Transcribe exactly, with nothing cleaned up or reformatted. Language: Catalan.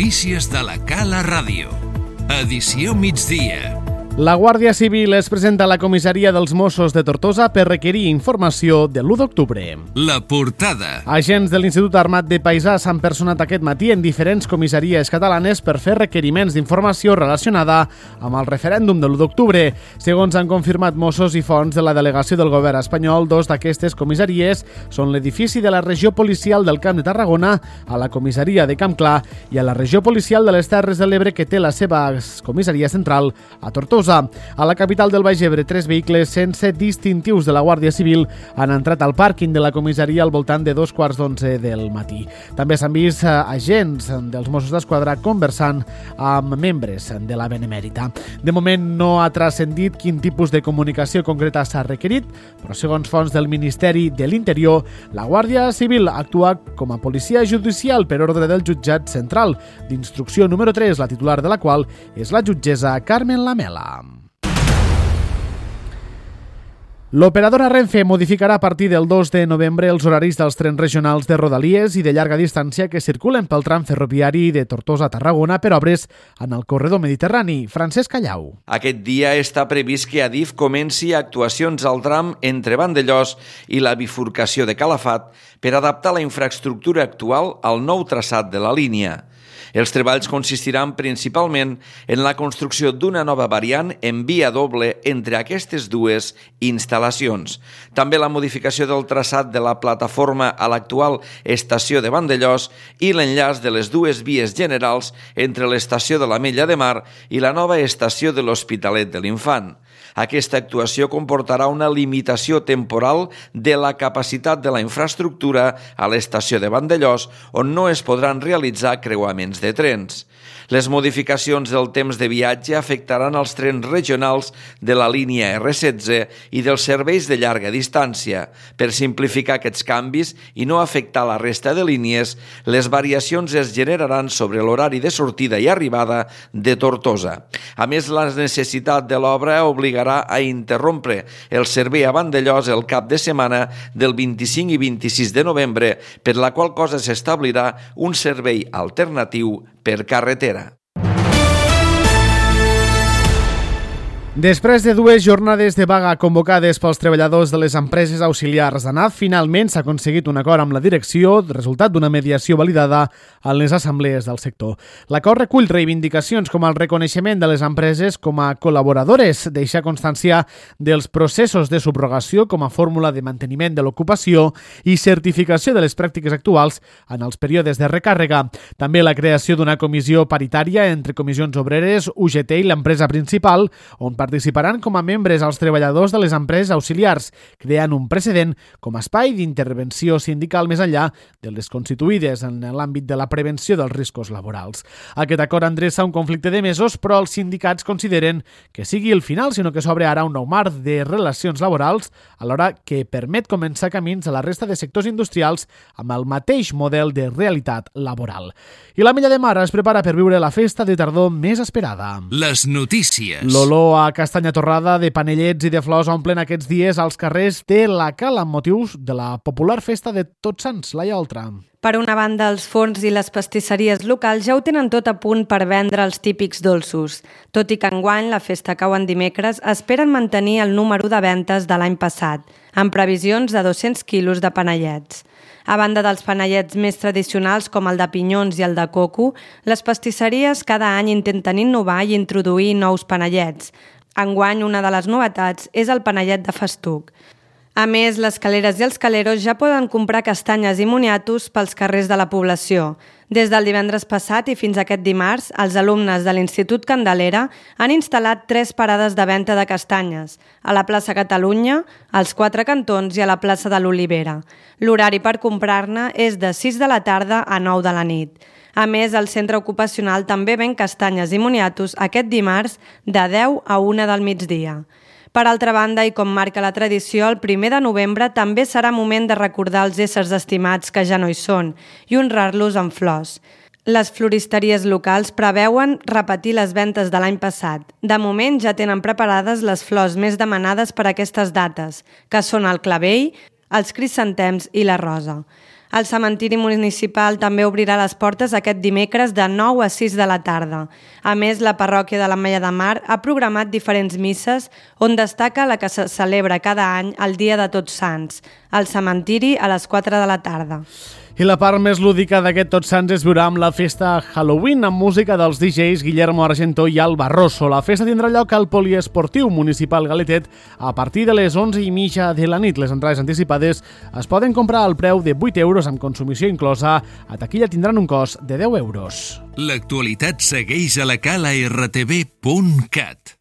notícies de la Cala Ràdio. Edició migdia. La Guàrdia Civil es presenta a la comissaria dels Mossos de Tortosa per requerir informació de l'u d'octubre. La portada. Agents de l'Institut Armat de Paisà s'han personat aquest matí en diferents comissaries catalanes per fer requeriments d'informació relacionada amb el referèndum de l'u d'octubre. Segons han confirmat Mossos i fonts de la delegació del govern espanyol, dos d'aquestes comissaries són l'edifici de la regió policial del Camp de Tarragona, a la comissaria de Camp Clar, i a la regió policial de les Terres de l'Ebre, que té la seva comissaria central a Tortosa. A la capital del Baix Ebre, tres vehicles sense distintius de la Guàrdia Civil han entrat al pàrquing de la comissaria al voltant de dos quarts d'onze del matí. També s'han vist agents dels Mossos d'Esquadra conversant amb membres de la Benemèrita. De moment no ha transcendit quin tipus de comunicació concreta s'ha requerit, però segons fonts del Ministeri de l'Interior, la Guàrdia Civil actua com a policia judicial per ordre del jutjat central d'instrucció número tres, la titular de la qual és la jutgessa Carmen Lamela. L'operadora Renfe modificarà a partir del dos de novembre els horaris dels trens regionals de Rodalies i de llarga distància que circulen pel tram ferroviari de Tortosa a Tarragona per obres en el corredor mediterrani. Francesc Callau. Aquest dia està previst que Adif comenci actuacions al tram entre Vandellòs i la bifurcació de Calafat per adaptar la infraestructura actual al nou traçat de la línia. Els treballs consistiran principalment en la construcció d'una nova variant en via doble entre aquestes dues instal·lacions. També la modificació del traçat de la plataforma a l'actual estació de Vandellòs i l'enllaç de les dues vies generals entre l'estació de l'Ametlla de Mar i la nova estació de l'Hospitalet de l'Infant. Aquesta actuació comportarà una limitació temporal de la capacitat de la infraestructura a l'estació de Vandellòs, on no es podran realitzar creuaments de trens. Les modificacions del temps de viatge afectaran els trens regionals de la línia erre setze i dels serveis de llarga distància. Per simplificar aquests canvis i no afectar la resta de línies, les variacions es generaran sobre l'horari de sortida i arribada de Tortosa. A més, la necessitat de l'obra obligarà a interrompre el servei a Vandellòs el cap de setmana del vint-i-cinc i vint-i-sis de novembre, per la qual cosa s'establirà un servei alternatiu per carretera. Després de dues jornades de vaga convocades pels treballadors de les empreses auxiliars d'ANAF, finalment s'ha aconseguit un acord amb la direcció, resultat d'una mediació validada en les assemblees del sector. L'acord recull reivindicacions com el reconeixement de les empreses com a col·laboradores, deixar constància dels processos de subrogació com a fórmula de manteniment de l'ocupació i certificació de les pràctiques actuals en els períodes de recàrrega. També la creació d'una comissió paritària entre comissions obreres, U G T i l'empresa principal, on participaran com a membres els treballadors de les empreses auxiliars, creant un precedent com a espai d'intervenció sindical més enllà de les constituïdes en l'àmbit de la prevenció dels riscos laborals. Aquest acord endreça un conflicte de mesos, però els sindicats consideren que sigui el final, sinó que s'obre ara un nou marc de relacions laborals, alhora que permet començar camins a la resta de sectors industrials amb el mateix model de realitat laboral. I l'Ametlla de Mar es prepara per viure la festa de tardor més esperada. Les notícies. L'olor a castanya torrada, de panellets i de flors omplen aquests dies als carrers de la Cala amb motius de la popular festa de Tots Sants, Laia Oltra. Per una banda, els forns i les pastisseries locals ja ho tenen tot a punt per vendre els típics dolços. Tot i que enguany la festa cau en dimecres, esperen mantenir el número de ventes de l'any passat, amb previsions de dos-cents quilos de panellets. A banda dels panellets més tradicionals com el de pinyons i el de coco, les pastisseries cada any intenten innovar i introduir nous panellets. Enguany, una de les novetats és el panellet de festuc. A més, les caleres i els caleros ja poden comprar castanyes i moniatos pels carrers de la població. Des del divendres passat i fins aquest dimarts, els alumnes de l'Institut Candelera han instal·lat tres parades de venda de castanyes, a la plaça Catalunya, als Quatre Cantons i a la plaça de l'Olivera. L'horari per comprar-ne és de sis de la tarda a nou de la nit. A més, el centre ocupacional també ven castanyes i moniatos aquest dimarts de deu a una del migdia. Per altra banda, i com marca la tradició, el primer de novembre també serà moment de recordar els éssers estimats que ja no hi són i honrar-los amb flors. Les floristeries locals preveuen repetir les ventes de l'any passat. De moment ja tenen preparades les flors més demanades per aquestes dates, que són el clavell, els crisantems i la rosa. El cementiri municipal també obrirà les portes aquest dimecres de nou a sis de la tarda. A més, la parròquia de l'Ametlla de Mar ha programat diferents misses on destaca la que se celebra cada any el dia de Tots Sants, al cementiri a les quatre de la tarda. I la part més lúdica d'aquest Tots Sants es viurà amb la festa Halloween amb música dels D Js Guillermo Argento i Alba Rosso. La festa tindrà lloc al Poliesportiu Municipal Galetet a partir de les onze i mitja de la nit. Les entrades anticipades es poden comprar al preu de vuit euros amb consumició inclosa. A taquilla tindran un cost de deu euros. L'actualitat segueix a la cala r t v punt cat.